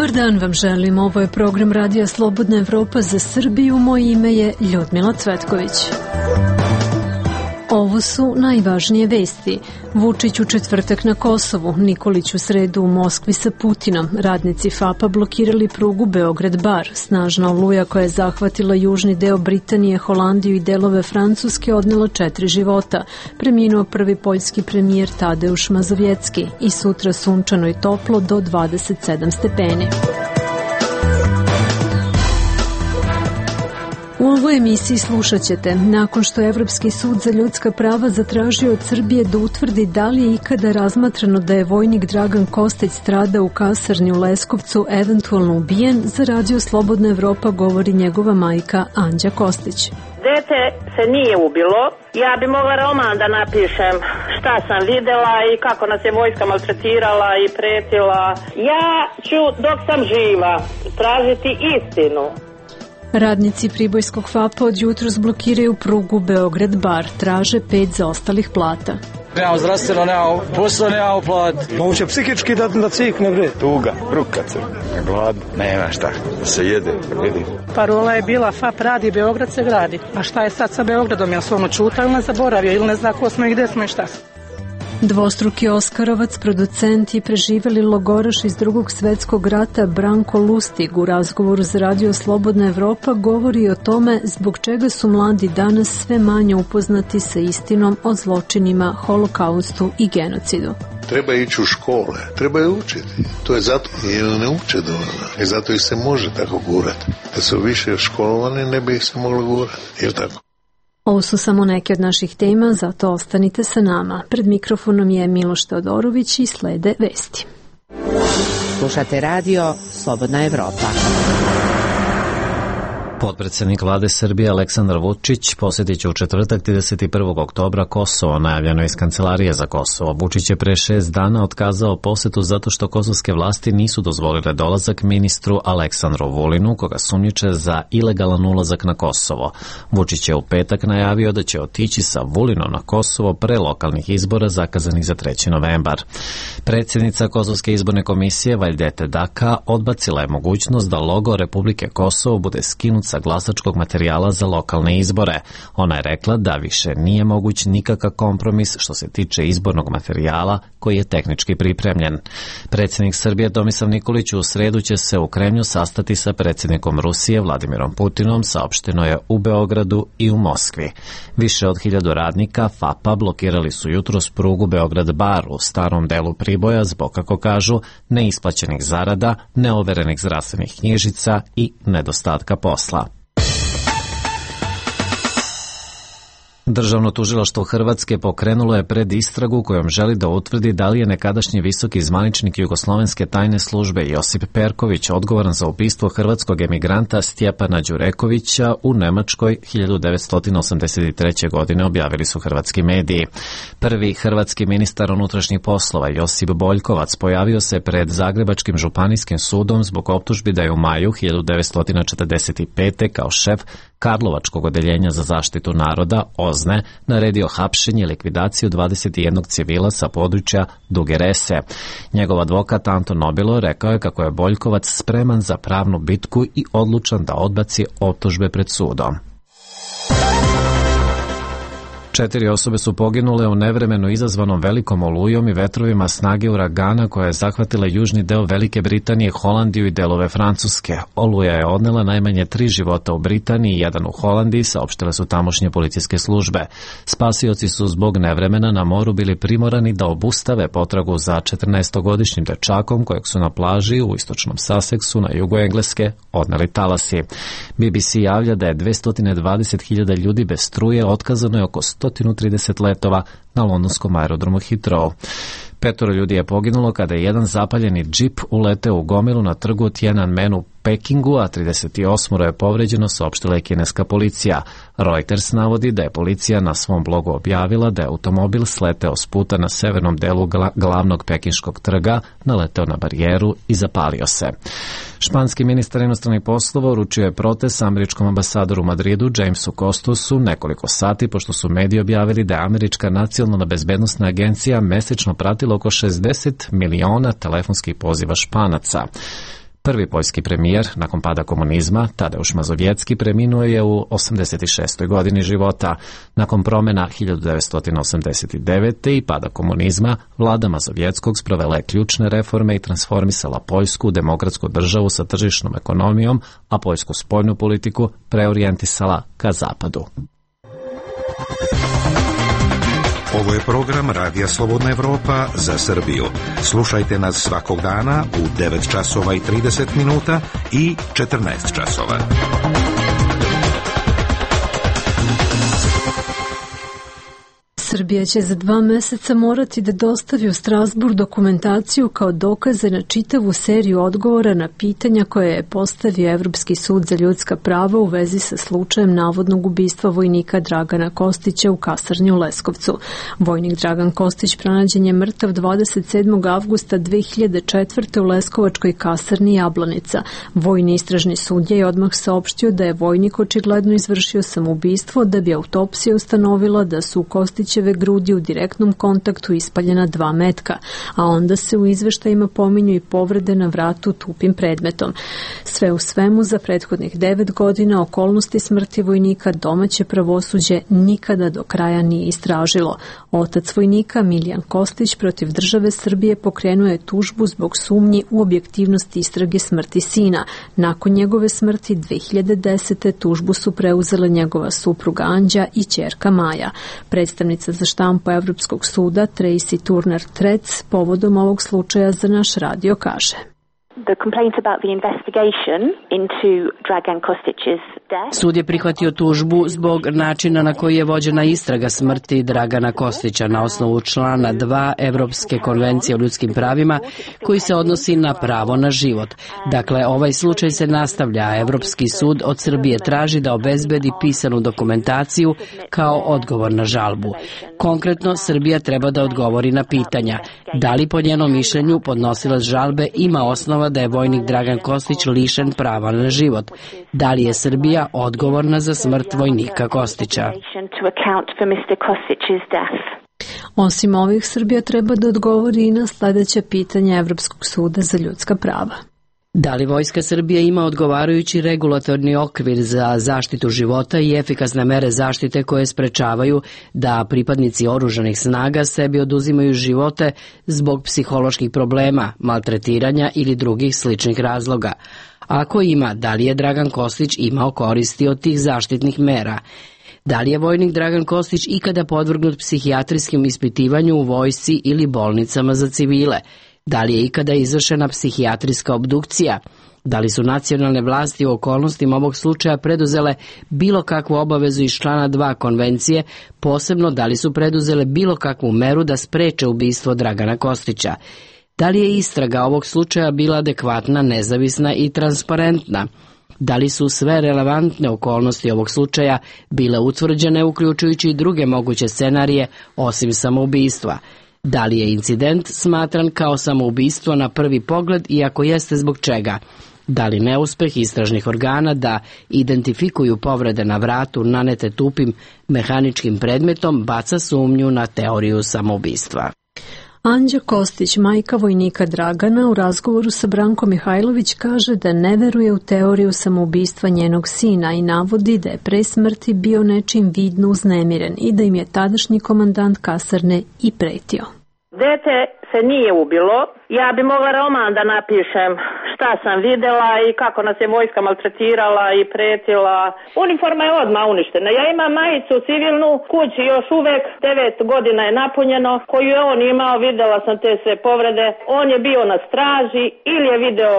Dobar dan vam želim, ovo je program Radija Slobodna Evropa za Srbiju, moje ime je Ljudmila Cvetković. Ovo su najvažnije vesti. Vučić u četvrtak na Kosovu, Nikolić u sredu u Moskvi sa Putinom, radnici FAP-a blokirali prugu Beograd-Bar, snažna oluja koja je zahvatila južni deo Britanije, Holandiju i delove Francuske odnela 4 života. Preminuo prvi poljski premijer Tadeusz Mazovjecki i sutra sunčano i toplo do 27 stepeni. U ovoj emisiji slušat ćete, nakon što je Evropski sud za ljudska prava zatražio od Srbije da utvrdi da li je ikada razmatrano da je vojnik Dragan Kostić stradao u kasarni u Leskovcu eventualno ubijen, za Radio Slobodna Evropa govori njegova majka Anđa Kostić. Dete se nije ubilo. Ja bi mogla roman da napišem šta sam videla i kako nas je vojska maltretirala i pretila. Ja ću dok sam živa tražiti istinu. Radnici Pribojskog FAP-a od jutros blokiraju prugu Beograd-Bar, traže 5 zaostalih plata. Nemamo zdravstveno, nemamo posla, nemamo plat. Moguće psihički da cikne bre. Tuga, ruka se, gladno, nema šta, da se jede, vidi. Parola je bila FAP radi, Beograd se gradi. A šta je sad sa Beogradom, jel su ono čuta ili ne zaboravio, ili ne zna ko smo i gde smo i šta smo? Dvostruki Oskarovac, producent i preživeli logoraš iz Drugog svjetskog rata Branko Lustig u razgovoru za Radio Slobodna Evropa govori o tome zbog čega su mladi danas sve manje upoznati sa istinom o zločinima, holokaustu i genocidu. Treba ići u škole, treba je učiti. To je zato jer ne uče dovoljno. I zato ih se može tako gurati. Da su više školovani, ne bi ih se moglo gurati. Jel tako? Ovo su samo neke od naših tema, zato ostanite sa nama. Pred mikrofonom je Miloš Teodorović i slede vesti. Slušate radio Slobodna Evropa. Potpredsjednik vlade Srbije Aleksandar Vučić posjetit će u četvrtak 31. oktobra Kosovo, najavljeno iz Kancelarije za Kosovo. Vučić je pre 6 dana otkazao posjetu zato što kosovske vlasti nisu dozvolile dolazak ministru Aleksandru Vulinu, koga sumnjiče za ilegalan ulazak na Kosovo. Vučić je u petak najavio da će otići sa Vulinom na Kosovo pre lokalnih izbora zakazanih za 3. novembar. Predsjednica Kosovske izborne komisije Vajdete Daka odbacila je mogućnost da logo Republike Kosovo bude skinut sa glasačkog materijala za lokalne izbore. Ona je rekla da više nije moguć nikakav kompromis što se tiče izbornog materijala koji je tehnički pripremljen. Predsjednik Srbije Tomislav Nikolić u sredu će se u Kremlju sastati sa predsjednikom Rusije Vladimirom Putinom, saopšteno je u Beogradu i u Moskvi. Više od 1000 radnika FAP-a blokirali su jutros prugu Beograd-Bar u starom delu Priboja zbog, kako kažu, neisplaćenih zarada, neoverenih zdravstvenih knjižica i nedostatka posla. Državno tužilaštvo Hrvatske pokrenulo je predistragu kojom želi da utvrdi da li je nekadašnji visoki zvaničnik Jugoslovenske tajne službe Josip Perković odgovoran za ubistvo hrvatskog emigranta Stjepana Đurekovića u Nemačkoj 1983. godine, objavili su hrvatski mediji. Prvi hrvatski ministar unutrašnjih poslova Josip Boljkovac pojavio se pred Zagrebačkim županijskim sudom zbog optužbi da je u maju 1945. kao šef Karlovačkog odeljenja za zaštitu naroda OZNE naredio hapšenje i likvidaciju 21 civila sa područja Duge Rese. Njegov advokat Anton Nobilo rekao je kako je Boljkovac spreman za pravnu bitku i odlučan da odbaci optužbe pred sudom. 4 osobe su poginule u nevremenu izazvanom velikom olujom i vetrovima snage uragana koja je zahvatila južni deo Velike Britanije, Holandiju i delove Francuske. Oluja je odnela najmanje 3 života u Britaniji i 1 u Holandiji, saopštile su tamošnje policijske službe. Spasioci su zbog nevremena na moru bili primorani da obustave potragu za 14-godišnjim dečakom kojeg su na plaži u istočnom Sussexu na jugu Engleske odneli talasi. BBC javlja da je 220.000 ljudi bez struje, otkazano je oko 130 letova na londonskom aerodromu Heathrow. 5 ljudi je poginulo kada je jedan zapaljeni džip uleteo u gomilu na trgu Tiananmen u Pekingu, a 38 je povređeno, saopštila je kineska policija. Reuters navodi da je policija na svom blogu objavila da je automobil sleteo s puta na severnom delu glavnog pekinškog trga, naleteo na barijeru i zapalio se. Španski ministar inostranih poslova uručio je protest američkom ambasadoru u Madridu Jamesu Costusu nekoliko sati pošto su mediji objavili da je američka nacionalna bezbednosna agencija mesečno pratila oko 60 miliona telefonskih poziva Španaca. Prvi poljski premijer nakon pada komunizma, Tadeusz Mazowiecki, preminuo je u 86. godini života. Nakon promjena 1989. i pada komunizma, vlada Mazovjeckog sprovela je ključne reforme i transformisala Poljsku u demokratsku državu sa tržišnom ekonomijom, a poljsku spoljnu politiku preorijentisala ka zapadu. Ovo je program Radija Slobodna Evropa za Srbiju. Slušajte nas svakog dana u 9 časova i 30 minuta i 14 časova. Srbija će za 2 meseca morati da dostavi u Strasburg dokumentaciju kao dokaze na čitavu seriju odgovora na pitanja koje je postavio Evropski sud za ljudska prava u vezi sa slučajem navodnog ubistva vojnika Dragana Kostića u kasarni u Leskovcu. Vojnik Dragan Kostić pronađen je mrtav 27. avgusta 2004. u Leskovačkoj kasarni Jablanica. Vojni istražni sudija je odmah saopštio da je vojnik očigledno izvršio samoubistvo, da bi autopsija ustanovila da su Kostićeve grudi u direktnom kontaktu ispaljena 2 metka, a onda se u izveštajima pominju i povrede na vratu tupim predmetom. Sve u svemu, za prethodnih 9 godina okolnosti smrti vojnika domaće pravosuđe nikada do kraja nije istražilo. Otac vojnika, Miljan Kostić, protiv države Srbije pokrenuo je tužbu zbog sumnji u objektivnost istrage smrti sina. Nakon njegove smrti 2010. tužbu su preuzele njegova supruga Anđa i ćerka Maja. Predstavnica za štampu Evropskog suda Tracy Turner Trec povodom ovog slučaja za naš radio kaže: Sud je prihvatio tužbu zbog načina na koji je vođena istraga smrti Dragana Kostića na osnovu člana 2 Evropske konvencije o ljudskim pravima koji se odnosi na pravo na život. Dakle, ovaj slučaj se nastavlja, a Evropski sud od Srbije traži da obezbedi pisanu dokumentaciju kao odgovor na žalbu. Konkretno, Srbija treba da odgovori na pitanja: da li po njenom mišljenju podnosilac žalbe ima osnova da je vojnik Dragan Kostić lišen prava na život? Da li je Srbija odgovorna za smrt vojnika Kostića? Osim ovih, Srbija treba da odgovori i na sljedeće pitanje Evropskog suda za ljudska prava. Da li Vojska Srbije ima odgovarajući regulatorni okvir za zaštitu života i efikasne mere zaštite koje sprečavaju da pripadnici oružanih snaga sebi oduzimaju živote zbog psiholoških problema, maltretiranja ili drugih sličnih razloga? Ako ima, da li je Dragan Kostić imao koristi od tih zaštitnih mera? Da li je vojnik Dragan Kostić ikada podvrgnut psihijatrijskim ispitivanju u vojsci ili bolnicama za civile? Da li je ikada izvršena psihijatrijska obdukcija? Da li su nacionalne vlasti u okolnostima ovog slučaja preduzele bilo kakvu obavezu iz člana 2 konvencije, posebno da li su preduzele bilo kakvu meru da spreče ubistvo Dragana Kostića? Da li je istraga ovog slučaja bila adekvatna, nezavisna i transparentna? Da li su sve relevantne okolnosti ovog slučaja bile utvrđene, uključujući i druge moguće scenarije osim samoubistva? Da li je incident smatran kao samoubistvo na prvi pogled i ako jeste, zbog čega? Da li neuspeh istražnih organa da identifikuju povrede na vratu nanete tupim mehaničkim predmetom baca sumnju na teoriju samoubistva? Anđa Kostić, majka vojnika Dragana, u razgovoru sa Brankom Mihajlović kaže da ne veruje u teoriju samoubistva njenog sina i navodi da je pre smrti bio nečim vidno uznemiren i da im je tadašnji komandant kasarne i pretio. Dete se nije ubilo. Ja bi mogla roman da napišem šta sam videla i kako nas je vojska maltretirala i pretila. Uniforma je odmah uništena. Ja imam majicu civilnu, kući još uvek 9 godina je napunjeno, koju je on imao, videla sam te sve povrede. On je bio na straži ili je video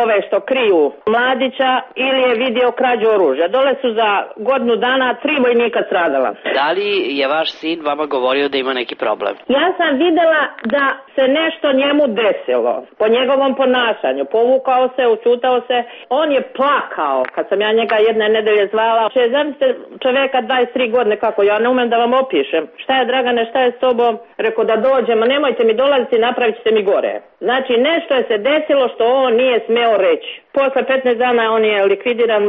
ove što kriju mladića ili je vidio krađu oružja. Dole su za godinu dana 3 vojnika stradala. Da li je vaš sin vama govorio da ima neki problem? Ja sam videla da se nešto njemu desilo po njegovom ponašanju. Povukao se, učutao se. On je plakao kad sam ja njega jedne nedelje zvala. Zamislite čoveka 23 godine kako ja ne umem da vam opišem. Šta je Dragane, šta je s tobom? Rekao da dođemo, nemojte mi dolaziti, napravit ćete mi gore. Znači nešto je se desilo što on nije smeo reći. Posle 15 dana on je likvidiran,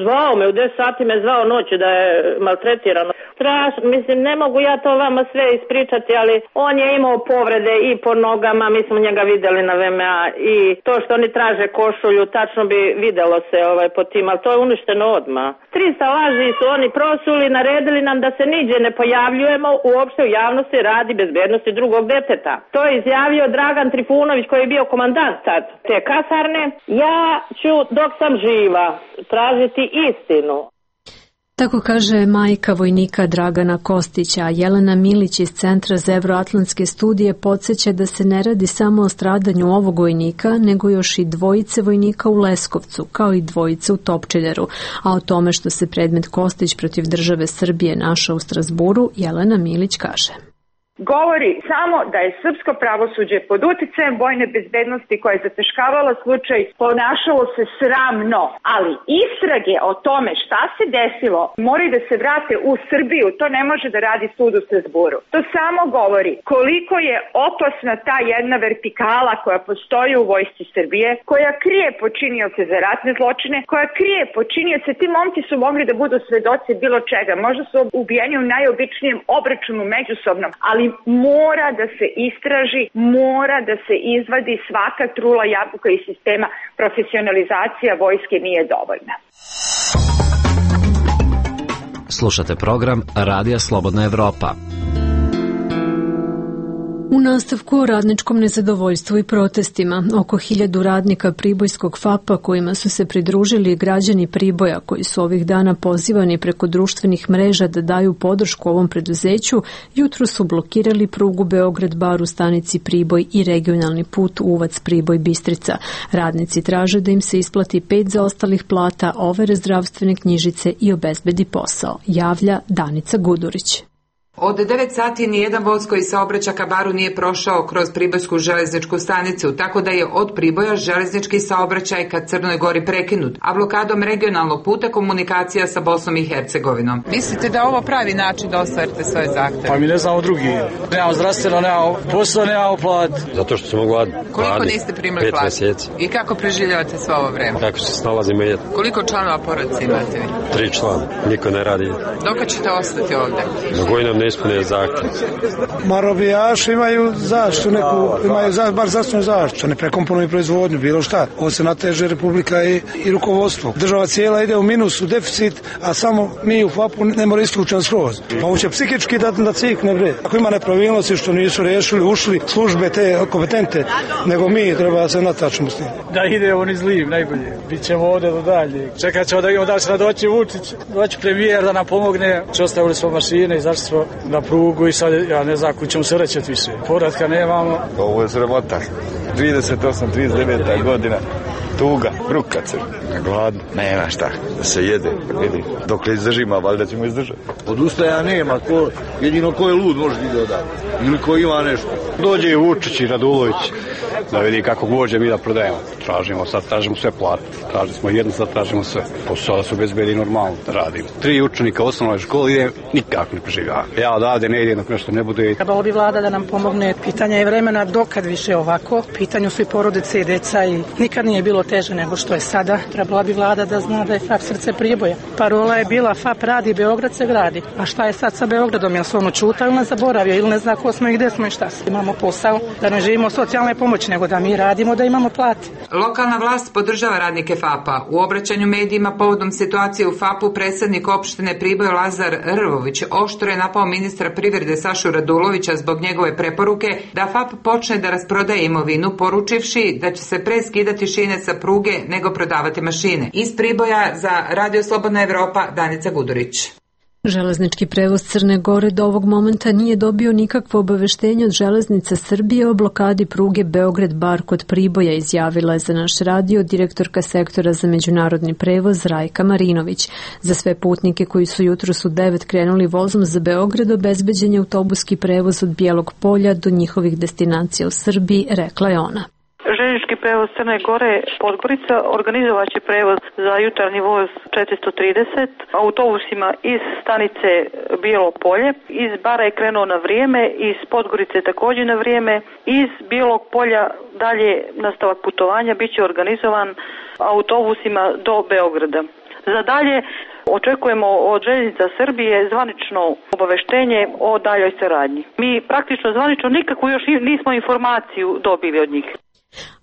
zvao me, u 10 sati me zvao noću da je maltretiran. strašno, mislim, ne mogu ja to vama sve ispričati, ali on je imao povrede i po nogama, mi smo njega videli na VMA i to što oni traže košulju, tačno bi videlo se po tim, ali to je uništeno odmah. 300 laži su oni prosuli, naredili nam da se niđe ne pojavljujemo uopšte u javnosti radi bezbednosti drugog deteta. To je izjavio Dragan Trifunović koji je bio komandant tad te kasarne. Ja ću dok sam živa tražiti istinu. Tako kaže majka vojnika Dragana Kostića, a Jelena Milić iz Centra za evroatlantske studije podsjeća da se ne radi samo o stradanju ovog vojnika, nego još i dvojice vojnika u Leskovcu, kao i dvojice u Topčideru, a o tome što se predmet Kostić protiv države Srbije našao u Strazburu, Jelena Milić kaže. Govori samo da je srpsko pravosuđe pod uticajem vojne bezbednosti koja je zateškavala slučaj, ponašalo se sramno, ali istrage o tome šta se desilo moraju da se vrate u Srbiju, to ne može da radi sud u Strazburu. To samo govori koliko je opasna ta jedna vertikala koja postoji u vojsci Srbije, koja krije počinioce za ratne zločine, koja krije počinioce, ti momci su mogli da budu svedoci bilo čega, možda su ubijeni u najobičnijem obračunu međusobnom, ali mora da se istraži, mora da se izvadi svaka trula jabuka iz sistema. Profesionalizacija vojske nije dovoljna. Slušate program Radija Slobodna Evropa. U nastavku o radničkom nezadovoljstvu i protestima, oko 1000 radnika Pribojskog FAP-a kojima su se pridružili građani Priboja koji su ovih dana pozivani preko društvenih mreža da daju podršku ovom preduzeću, jutro su blokirali prugu Beograd-Bar u stanici Priboj i regionalni put Uvac-Priboj-Bistrica. Radnici traže da im se isplati 5 zaostalih plata, overe zdravstvene knjižice i obezbedi posao, javlja Danica Gudurić. Od 9 sati nijedan voz koji saobraća ka Baru nije prošao kroz Pribojsku železničku stanicu, tako da je od Priboja železnički saobraćaj ka Crnoj Gori prekinut, a blokadom regionalnog puta komunikacija sa Bosnom i Hercegovinom. Mislite da ovo pravi način da ostvarite svoje zahteve? Pa mi ne znamo drugi. Nemamo zdravstveno, nemamo posao, nemamo plat. Zato što smo gladni. Koliko niste primili platu? 5 mjeseci. I kako preživljavate svo ovo vreme? Kako se snalazimo jedno? Koliko članova porodice imate vi? 3 člana. Niko ne radi. Dok ćete ostati ovdje? Dok koji nam ne ispune zahtjev. Marobijaši imaju zaštitu neku, imaju bar zdravstvenu zaštitu, ne prekomponuju proizvodnju, bilo šta. Ovo se nateže Republika i rukovodstvo. Država cijela ide u minus, u deficit, a samo mi u FAP-u ne mora isključen skroz. Pa ovo će psihički da cikne bre. Ako ima nepravilnosti što nisu riješili, ušli službe te kompetente, nego mi treba se natačimo s tim. Da ide on iz Liv, najbolje. Bićemo ovdje do dalje. Čekat ćemo da vidimo da će nam doći Vučić, doći premijer da nam pomogne. Ostavili smo mašine, izašli smo na prugu i sad ja ne znam kućemo se rećeti više. Povratka nemamo. Ovo je sramota. 38-39 godina. Tuga, bruka se. Gladno. Nema šta. Da se jede. Vidi. Dok li izdržimo, valjda ćemo izdržati. Odustaja nema. Jedino ko je lud može ti dodati. Ili ko ima nešto. Dođe i Vučić i Radulović da vidi kako vođe mi da prodajemo. Tražimo sve plate. Tražili smo jedno, sad tražimo sve. Posao da se obezbedi normalno da radimo. 3 učenika u osnovnoj školi ide, nikako ne preživljava. Ja odavde ne idem dok nešto ne bude. Trebalo bi vlada da nam pomogne. Pitanje je vremena dokad više ovako. Pitanju su i porodice i deca i nikad nije bilo teže nego što je sada. Trebala bi vlada da zna da je FAP srce Priboja. Parola je bila FAP radi, Beograd se gradi. A šta je sad sa Beogradom? Jel se ono čuta ili ne zaboravio ili ne zna ko smo i gde smo i šta smo? Imamo posao da ne živimo socijalne pomoći, nego da mi radimo, da imamo plate. Lokalna vlast podržava radnike FAP-a. U obraćanju medijima povodom situacije u FAP-u predsjednik opštine Priboj Lazar Rvović oštro je napao ministra privrede Sašu Radulovića zbog njegove preporuke da FAP počne da rasprodaje imovinu, poručivši da će se pre skidati šine sa pruge nego prodavati mašine. Iz Priboja za Radio Slobodna Evropa, Danica Gudurić. Železnički prevoz Crne Gore do ovog momenta nije dobio nikakvo obaveštenje od Železnica Srbije o blokadi pruge Beograd-Bar kod Priboja, izjavila je za naš radio direktorka sektora za međunarodni prevoz Rajka Marinović. Za sve putnike koji su jutros u 9 krenuli vozom za Beograd obezbeđen je autobuski prevoz od Bijelog Polja do njihovih destinacija u Srbiji, rekla je ona. Željeznički prevoz Crne Gore Podgorica organizovat će prevoz za jutarnji voz 430 autobusima iz stanice Bijelo Polje. Iz Bara je krenuo na vrijeme, iz Podgorice također na vrijeme. Iz Bijelog Polja dalje nastavak putovanja bit će organizovan autobusima do Beograda. Za dalje Očekujemo od Željeznica Srbije zvanično obaveštenje o daljoj saradnji. Mi praktično zvanično nikakvu još nismo informaciju dobili od njih.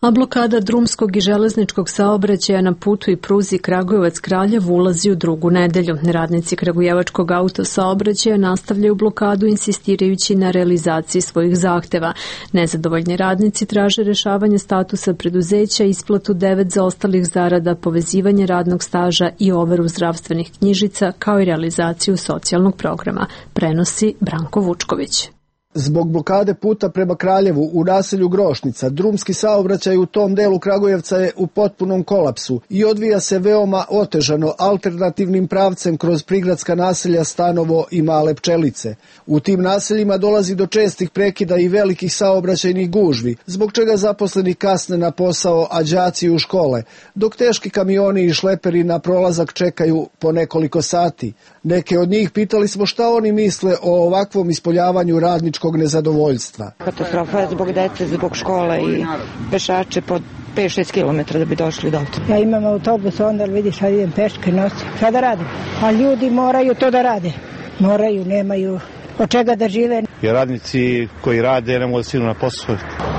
A blokada drumskog i železničkog saobraćaja na putu i pruzi Kragujevac-Kraljevo ulazi u drugu nedelju. Radnici kragujevačkog autosaobraćaja nastavljaju blokadu insistirajući na realizaciji svojih zahteva. Nezadovoljni radnici traže rešavanje statusa preduzeća, isplatu 9 zaostalih zarada, povezivanje radnog staža i overu zdravstvenih knjižica, kao i realizaciju socijalnog programa, prenosi Branko Vučković. Zbog blokade puta prema Kraljevu u naselju Grošnica, drumski saobraćaj u tom delu Kragujevca je u potpunom kolapsu i odvija se veoma otežano alternativnim pravcem kroz prigradska naselja Stanovo i Male Pčelice. U tim naseljima dolazi do čestih prekida i velikih saobraćajnih gužvi, zbog čega zaposleni kasne na posao, a đaci u škole, dok teški kamioni i šleperi na prolazak čekaju po nekoliko sati. Neke od njih pitali smo šta oni misle o ovakvom ispoljavanju radničkog nezadovoljstva. Katastrofa je zbog dece, zbog škola i pešače po 5-6 km da bi došli do ovdje. Ja imam autobus, onda vidiš, sad idem peške, nosim. Šta da radim? A ljudi moraju to da rade. Moraju, nemaju od čega da žive. I radnici koji rade ne mogu da stignu na posao,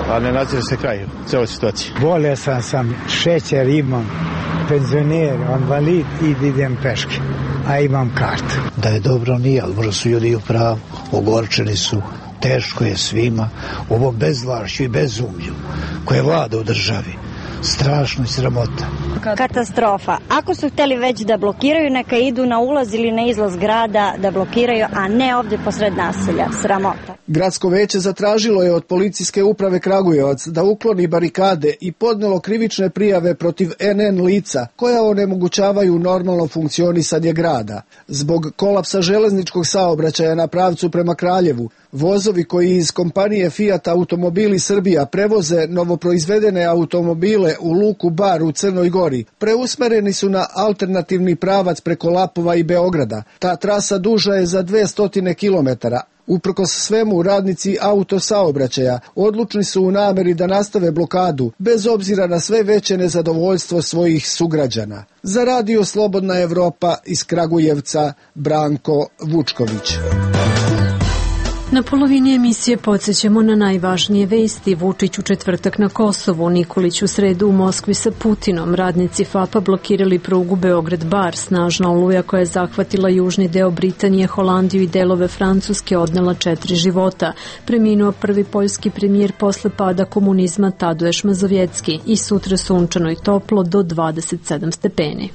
a ne nadzire se kraj u celoj situaciji. Bolesan sam, šećer imam, penzioner, invalid i idem peške, a imam kartu. Da je dobro nije, ali možda su ljudi u pravu, ogorčeni su, teško je svima, ovo bezvlašću i bezumlju koje vlada u državi. Strašno i sramota. Katastrofa. Ako su hteli već da blokiraju, neka idu na ulaz ili na izlaz grada da blokiraju, a ne ovdje posred naselja. Sramota. Gradsko veće zatražilo je od policijske uprave Kragujevac da ukloni barikade i podnelo krivične prijave protiv NN lica koja onemogućavaju normalno funkcionisanje grada. Zbog kolapsa železničkog saobraćaja na pravcu prema Kraljevu, vozovi koji iz kompanije Fiat Automobili Srbija prevoze novoproizvedene automobile u luku Bar u Crnoj Gori preusmereni su na alternativni pravac preko Lapova i Beograda. Ta trasa duža je za 200 km. Uprkos svemu, radnici autosaobraćaja odlučni su u nameri da nastave blokadu, bez obzira na sve veće nezadovoljstvo svojih sugrađana. Za Radio Slobodna Evropa iz Kragujevca, Branko Vučković. Na polovini emisije podsjećamo na najvažnije vesti. Vučić u četvrtak na Kosovu, Nikolić u sredu u Moskvi sa Putinom. Radnici FAP-a blokirali prugu Beograd-Bar. Snažna oluja koja je zahvatila južni deo Britanije, Holandiju i delove Francuske odnela 4 života. Preminuo prvi poljski premijer posle pada komunizma Tadeusz Mazowiecki i sutra sunčano i toplo do 27 stepeni.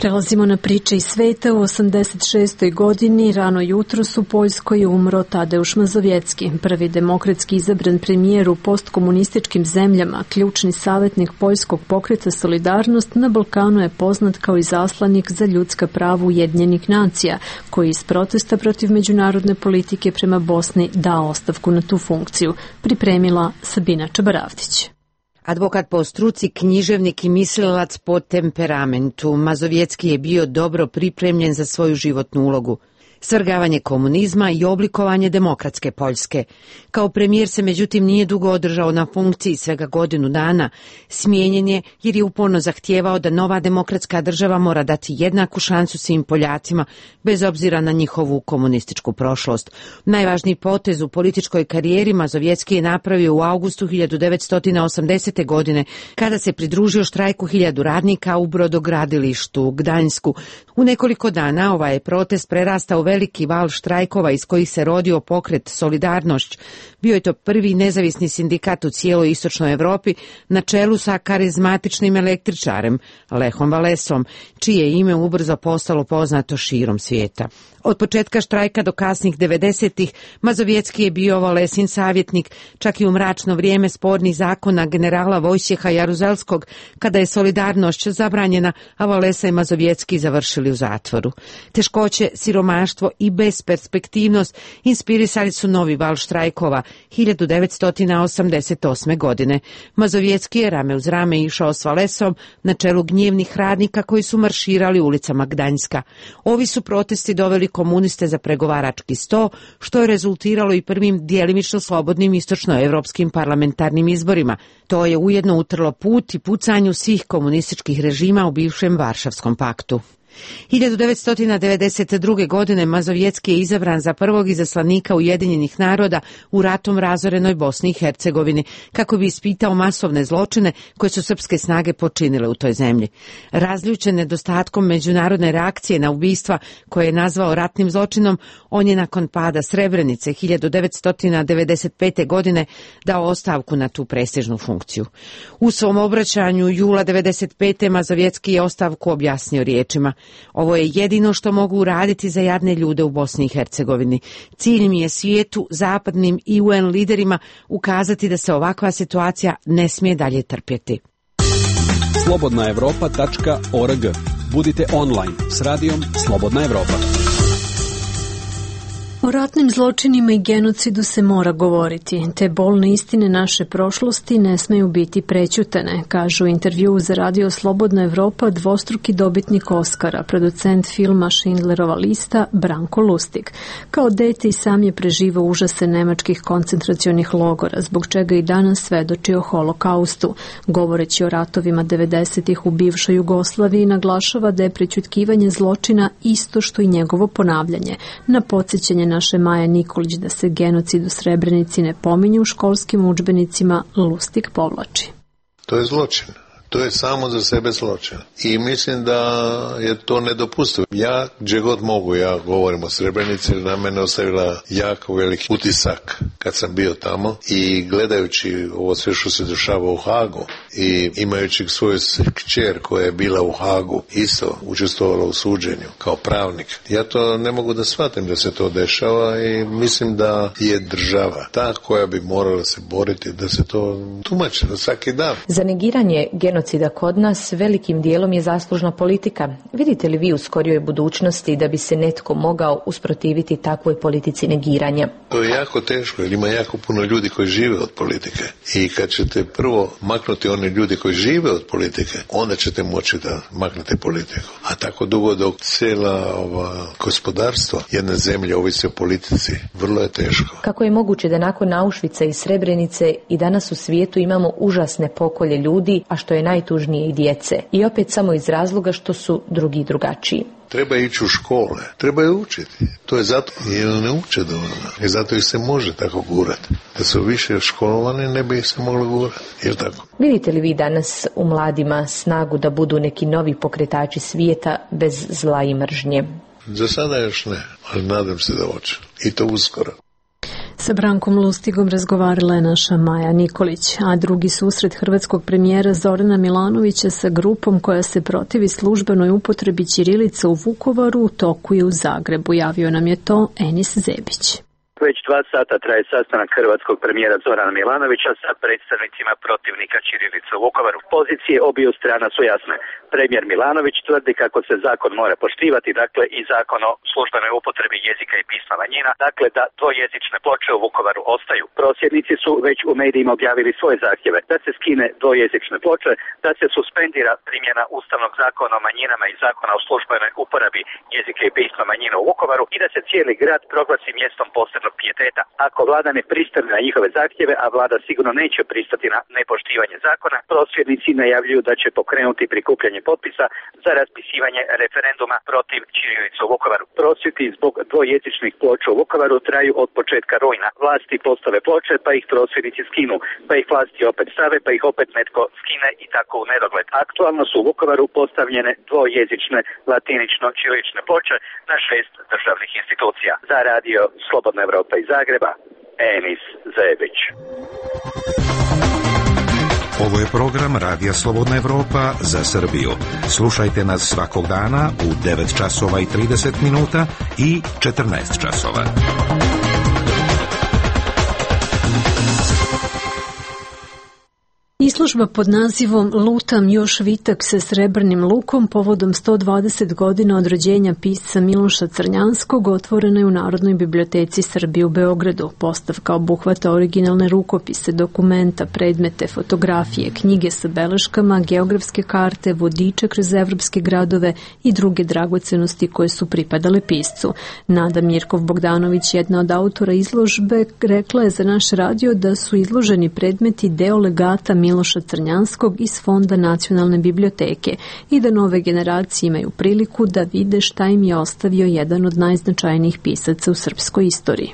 Prelazimo na priče iz sveta. U 86. godini rano jutros u Poljskoj je umro Tadeusz Mazowiecki, prvi demokratski izabran premijer u postkomunističkim zemljama, ključni savjetnik poljskog pokreta Solidarnost. Na Balkanu je poznat kao izaslanik za ljudska prava Ujedinjenih nacija, koji iz protesta protiv međunarodne politike prema Bosni dao ostavku na tu funkciju. Pripremila Sabina Čabaravdić. Advokat po struci, književnik i mislilac po temperamentu, Mazowiecki je bio dobro pripremljen za svoju životnu ulogu. Svrgavanje komunizma i oblikovanje demokratske Poljske. Kao premijer se međutim nije dugo održao na funkciji, svega godinu dana. Smijenjen je jer je uporno zahtijevao da nova demokratska država mora dati jednaku šansu svim Poljacima, bez obzira na njihovu komunističku prošlost. Najvažniji potez u političkoj karijeri Mazowiecki je napravio u avgustu 1980. godine, kada se pridružio štrajku 1000 radnika u brodogradilištu u Gdańsku. U nekoliko dana ovaj je protest prerastao veliki val štrajkova iz kojih se rodio pokret Solidarnošć. Bio je to prvi nezavisni sindikat u cijeloj istočnoj Evropi na čelu sa karizmatičnim električarem Lechom Walesom, čije ime ubrzo postalo poznato širom svijeta. Od početka štrajka do kasnih 90-ih Mazowiecki je bio Walesin savjetnik, čak i u mračno vrijeme spornih zakona generala Wojciecha Jaruzelskog, kada je Solidarnošć zabranjena, a Walesa i Mazowiecki završili u zatvoru. Teškoće, siromaštvo i besperspektivnost inspirisali su novi val štrajkova 1988. godine. Mazowiecki je rame uz rame išao s Walesom na čelu gnjevnih radnika koji su marširali ulicama Gdańska. Ovi su protesti doveli komuniste za pregovarački sto, što je rezultiralo i prvim djelimično slobodnim istočnoevropskim parlamentarnim izborima. To je ujedno utrlo put i pucanju svih komunističkih režima u bivšem Varšavskom paktu. 1992. godine Mazovjetski je izabran za prvog izaslanika Ujedinjenih naroda u ratom razorenoj Bosni i Hercegovini, kako bi ispitao masovne zločine koje su srpske snage počinile u toj zemlji. Razljučen nedostatkom međunarodne reakcije na ubistva koje je nazvao ratnim zločinom, on je nakon pada Srebrenice 1995. godine dao ostavku na tu prestižnu funkciju. U svom obraćanju jula 1995. Mazovjetski je ostavku objasnio riječima: ovo je jedino što mogu uraditi za jadne ljude u Bosni i Hercegovini. Cilj mi je svijetu, zapadnim i UN liderima ukazati da se ovakva situacija ne smije dalje trpjeti. slobodnaevropa.org. Budite online s radijom Slobodna Evropa. O ratnim zločinima i genocidu se mora govoriti. Te bolne istine naše prošlosti ne smeju biti prećutane, kažu u intervjuu za radio Slobodna Evropa dvostruki dobitnik Oskara, producent filma Schindlerova lista Branko Lustig. Kao dete i sam je preživao užase nemačkih koncentracionih logora, zbog čega i danas svedoči o holokaustu. Govoreći o ratovima 90-ih u bivšoj Jugoslaviji, naglašava da je prećutkivanje zločina isto što i njegovo ponavljanje. Na podsjećanje naše Maja Nikolić da se genocid u Srebrenici ne pominje u školskim udžbenicima, Lustig povlači. To je zločin. To je samo za sebe zločin. I mislim da je to nedopustivo. Ja, gdje god mogu, ja govorim o Srebrenici, na mene ostavila jako veliki utisak kad sam bio tamo i gledajući ovo sve što se dešava u Hagu i imajući svoju kćer koja je bila u Hagu, isto učestvovala u suđenju kao pravnik. Ja to ne mogu da shvatim da se to dešava i mislim da je država ta koja bi morala se boriti da se to tumači svaki dan. Za negiranje genocida kod nas velikim dijelom je zaslužna politika. Vidite li vi u skorijoj budućnosti da bi se netko mogao usprotiviti takvoj politici negiranja? To je jako teško jer ima jako puno ljudi koji žive od politike i kad ćete prvo maknuti one ljudi koji žive od politike, onda ćete moći da maknete politiku. A tako dugo dok cijela gospodarstvo jedne zemlje ovisi o politici, vrlo je teško. Kako je moguće da nakon Auschwitza i Srebrenice i danas u svijetu imamo užasne pokolje ljudi, a što je najtužnije i djece? I opet samo iz razloga što su drugi drugačiji. Treba ići u škole, treba je učiti. To je zato jer ne uče dovoljno. I zato ih se može tako gurati. Da su više školovani, ne bi ih se moglo gurati. Jel tako? Vidite li vi danas u mladima snagu da budu neki novi pokretači svijeta bez zla i mržnje? Za sada još ne, ali nadam se da hoće. I to uskoro. Sa Brankom Lustigom razgovarala je naša Maja Nikolić, a drugi susret hrvatskog premijera Zorana Milanovića sa grupom koja se protivi službenoj upotrebi ćirilice u Vukovaru u toku je u Zagrebu. Javio nam je to Enis Zebić. Već 2 sata traje sastanak hrvatskog premijera Zorana Milanovića sa predstavnicima protivnika ćirilice u Vukovaru. Pozicije obiju strana su jasne. Premijer Milanović tvrdi kako se zakon mora poštivati, dakle i zakon o službenoj upotrebi jezika i pisma manjina, dakle da dvojezične ploče u Vukovaru ostaju. Prosvjednici su već u medijima objavili svoje zahtjeve da se skine dvojezične ploče, da se suspendira primjena Ustavnog zakona o manjinama i zakona o službenoj uporabi jezika i pisma manjina u Vukovaru i da se cijeli grad proglasi mjestom posebnog pijeteta. Ako vlada ne pristane na njihove zahtjeve, a vlada sigurno neće pristati na nepoštivanje zakona, prosvjednici najavljuju da će pokrenuti prikupljanje potpisa za raspisivanje referenduma protiv ćirilice u Vukovaru. Prosvjedi zbog dvojezičnih ploča u Vukovaru traju od početka rujna. Vlasti postave ploče, pa ih prosvjednici skinu, pa ih vlasti opet stave, pa ih opet netko skine i tako u nedogled. Aktualno su u Vukovaru postavljene dvojezične latinično-ćirilične ploče na 6 državnih institucija. Za radio Slobodna Evropa iz Zagreba, Enis Zebić. Ovo je program Radija Slobodna Evropa za Srbiju. Slušajte nas svakog dana u 9 časova i 30 minuta i 14 časova. Izložba pod nazivom Lutam još vitak sa srebrnim lukom povodom 120 godina od rođenja pisca Miloša Crnjanskog otvorena je u Narodnoj biblioteci Srbije u Beogradu. Postavka obuhvata originalne rukopise, dokumenta, predmete, fotografije, knjige sa beleškama, geografske karte, vodiče kroz evropske gradove i druge dragocenosti koje su pripadale piscu. Nada Mirkov-Bogdanović, jedna od autora izložbe, rekla je za naš radio da su izloženi predmeti deo legata Miloša Crnjanskog iz Fonda Nacionalne biblioteke i da nove generacije imaju priliku da vide šta im je ostavio jedan od najznačajnijih pisaca u srpskoj istoriji.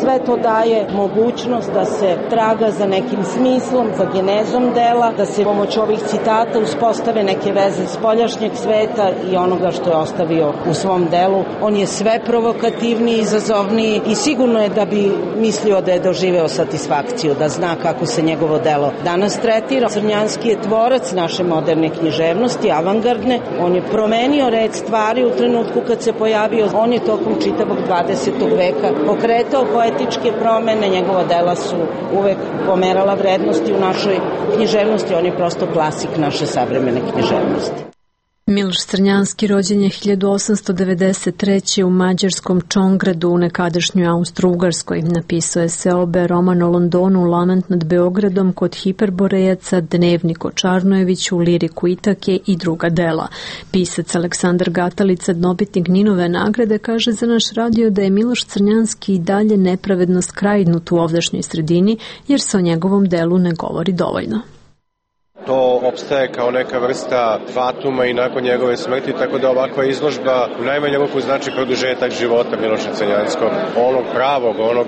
Sve to daje mogućnost da se traga za nekim smislom, za genezom dela, da se pomoć ovih citata uspostave neke veze spoljašnjeg sveta i onoga što je ostavio u svom delu. On je sve provokativniji, izazovniji i sigurno je da bi mislio da je doživeo satisfakciju, da zna kako se njegovo delo danas tretira. Crnjanski je tvorac naše moderne književnosti, avangardne. On je promenio red stvari u trenutku kad se pojavio. On je tokom čitavog 20. veka pokretao poetičke promene, njegova dela su uvek pomerala vrednosti u našoj književnosti, on je prosto klasik naše savremene književnosti. Miloš Crnjanski rođen je 1893. u mađarskom Čongradu u nekadašnjoj Austro-Ugarskoj. Napisao je seobe, roman o Londonu, Lament nad Beogradom, Kod Hiperborejaca, Dnevnik o Čarnojeviću, Liriku Itake i druga dela. Pisac Aleksandar Gatalica, dobitnik Ninove nagrade, kaže za naš radio da je Miloš Crnjanski i dalje nepravedno skrajnut u ovdašnjoj sredini jer se o njegovom delu ne govori dovoljno. To opstaje kao neka vrsta fatuma i nakon njegove smrti, tako da ovakva izložba u najmanju ruku znači produžetak života Miloša Crnjanskog, onog pravog, onog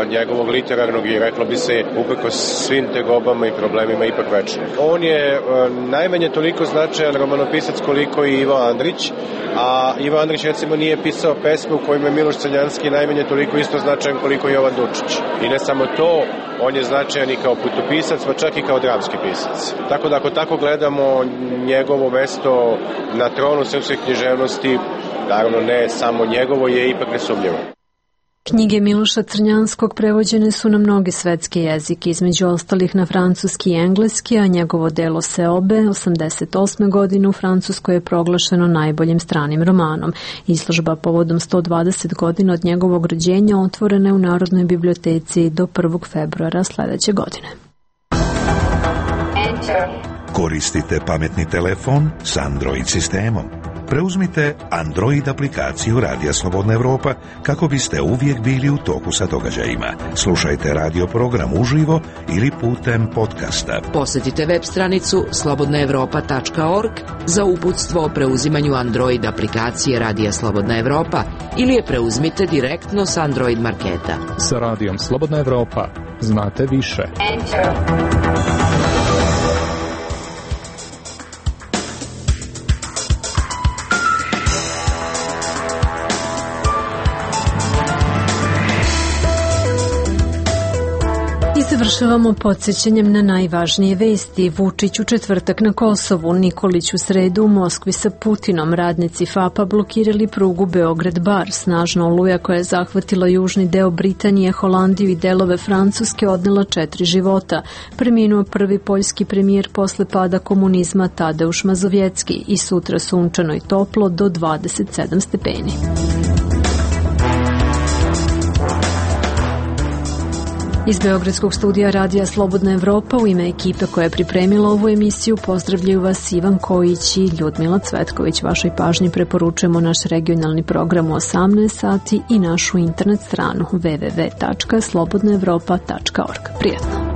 njegovog literarnog i reklo bi se uprkos svim tegobama i problemima ipak večni. On je najmanje toliko značajan romanopisac koliko i Ivo Andrić, a Ivo Andrić recimo nije pisao pesme u kojima je Miloš Crnjanski najmanje toliko isto značajan koliko i Jovan Dučić. I ne samo to, on je značajan i kao putopisac, pa čak i kao dramski pisac. Tako da ako tako gledamo, njegovo mesto na tronu srpske književnosti, naravno ne samo njegovo, je ipak nesumnjivo. Knjige Miloša Crnjanskog prevođene su na mnoge svetske jezike, između ostalih na francuski i engleski, a njegovo delo Seobe 88. godine u Francuskoj je proglašeno najboljim stranim romanom. Izložba povodom 120 godina od njegovog rođenja otvorena je u Narodnoj biblioteci do 1. februara sledeće godine. Koristite pametni telefon s Android sistemom. Preuzmite Android aplikaciju Radija Slobodna Evropa kako biste uvijek bili u toku sa događajima. Slušajte radio program uživo ili putem podcasta. Posjetite web stranicu slobodnaevropa.org za uputstvo o preuzimanju Android aplikacije Radija Slobodna Evropa ili je preuzmite direktno s Android marketa. Sa Radijom Slobodna Evropa znate više. Završavamo podsjećanjem na najvažnije vesti. Vučić u četvrtak na Kosovu, Nikolić u sredu u Moskvi sa Putinom. Radnici FAP-a blokirali prugu Beograd-Bar. Snažna oluja koja je zahvatila južni deo Britanije, Holandiju i delove Francuske odnela 4 života. Preminuo prvi poljski premijer posle pada komunizma Tadeuš Mazovjecki i sutra sunčano i toplo do 27 stepeni. Iz Beogradskog studija Radija Slobodna Evropa u ime ekipe koja je pripremila ovu emisiju pozdravljaju vas Ivan Kojić i Ljudmila Cvetković. Vašoj pažnji preporučujemo naš regionalni program u 18 sati i našu internet stranu www.slobodnaevropa.org. Prijetno!